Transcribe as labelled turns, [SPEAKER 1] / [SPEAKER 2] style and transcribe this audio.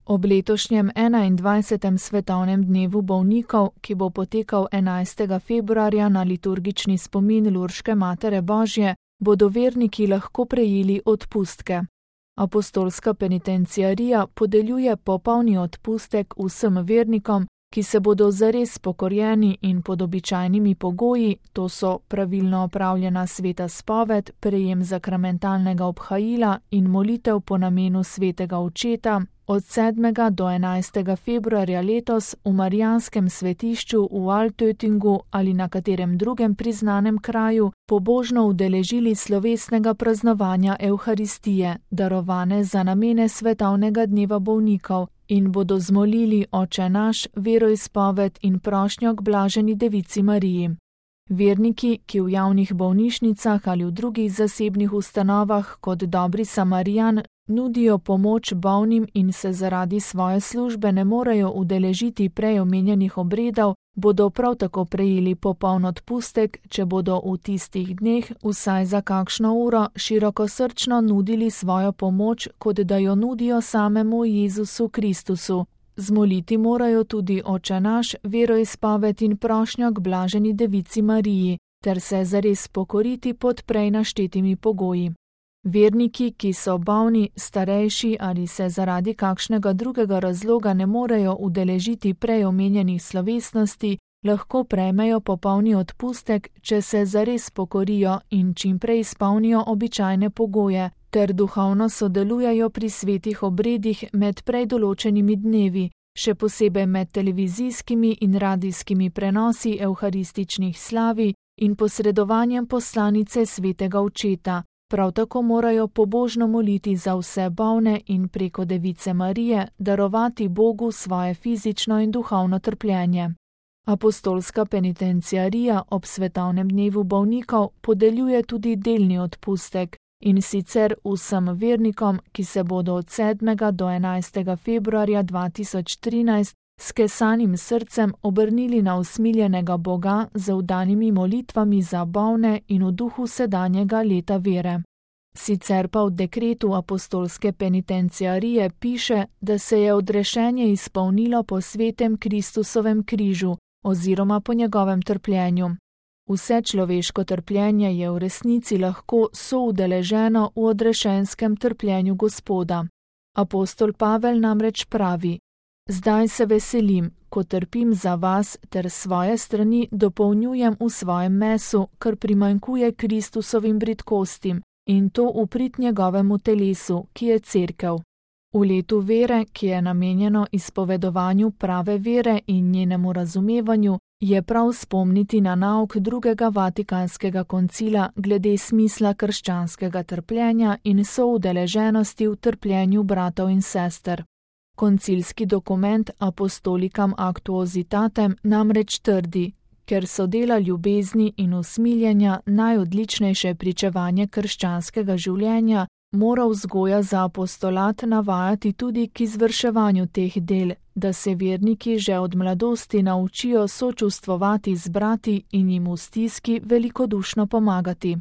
[SPEAKER 1] Ob letošnjem 21. svetovnem dnevu bolnikov, ki bo potekal 11. februarja na liturgični spomin Lurške Matere Božje, bodo verniki lahko prejeli odpustke. Apostolska penitenciarija podeljuje popolni odpustek vsem vernikom, ki se bodo zares pokorjeni in pod običajnimi pogoji, to so pravilno opravljena sveta spoved, prejem zakramentalnega obhajila in molitev po namenu svetega očeta, od 7. do 11. februarja letos v Marijanskem svetišču v Altötingu ali na katerem drugem priznanem kraju pobožno udeležili slovesnega praznovanja Evharistije, darovane za namene svetovnega dneva bolnikov, in bodo zmolili Oče naš, veroizpoved in prošnjo k blaženi Devici Mariji. Verniki, ki v javnih bolnišnicah ali v drugih zasebnih ustanovah kot dobri Samarijan nudijo pomoč bolnim in se zaradi svoje službe ne morejo udeležiti prej omenjenih obredov, bodo prav tako prejeli popoln odpustek, če bodo v tistih dneh vsaj za kakšno uro širokosrčno nudili svojo pomoč, kot da jo nudijo samemu Jezusu Kristusu. Zmoliti morajo tudi Oče naš, veroizpoved in prošnjo k blaženi Devici Mariji, ter se zares pokoriti pod prej naštetimi pogoji. Verniki, ki so bolni, starejši ali se zaradi kakšnega drugega razloga ne morejo udeležiti prej omenjenih slovesnosti, lahko prejmejo popolni odpustek, če se zares pokorijo in čim prej izpolnijo običajne pogoje, ter duhovno sodelujejo pri svetih obredih med prej določenimi dnevi, še posebej med televizijskimi in radijskimi prenosi evharističnih slavi in posredovanjem poslanice svetega očeta. Prav tako morajo pobožno moliti za vse bolne in preko Device Marije darovati Bogu svoje fizično in duhovno trpljenje. Apostolska penitenciarija ob svetovnem dnevu bolnikov podeljuje tudi delni odpustek, in sicer vsem vernikom, ki se bodo od 7. do 11. februarja 2013 s kesanim srcem obrnili na usmiljenega Boga z vdanimi molitvami za bolne in v duhu sedanjega leta vere. Sicer pa v dekretu apostolske penitenciarije piše, da se je odrešenje izpolnilo po svetem Kristusovem križu oziroma po njegovem trpljenju. Vse človeško trpljenje je v resnici lahko soudeleženo v odrešenskem trpljenju Gospoda. Apostol Pavel namreč pravi: Zdaj se veselim, ko trpim za vas, ter svoje strani dopolnjujem v svojem mesu, kar primanjkuje Kristusovim bridkostim, in to v prid njegovemu telesu, ki je cerkev. V letu vere, ki je namenjeno izpovedovanju prave vere in njenemu razumevanju, je prav spomniti na nauk drugega Vatikanskega koncila glede smisla krščanskega trpljenja in soudeleženosti v trpljenju bratov in sester. Koncilski dokument Apostolicam Actuositatem namreč trdi: ker so dela ljubezni in usmiljenja najodličnejše pričevanje krščanskega življenja, mora vzgoja za apostolat navajati tudi k izvrševanju teh del, da se verniki že od mladosti naučijo sočustvovati z brati in jim v stiski velikodušno pomagati.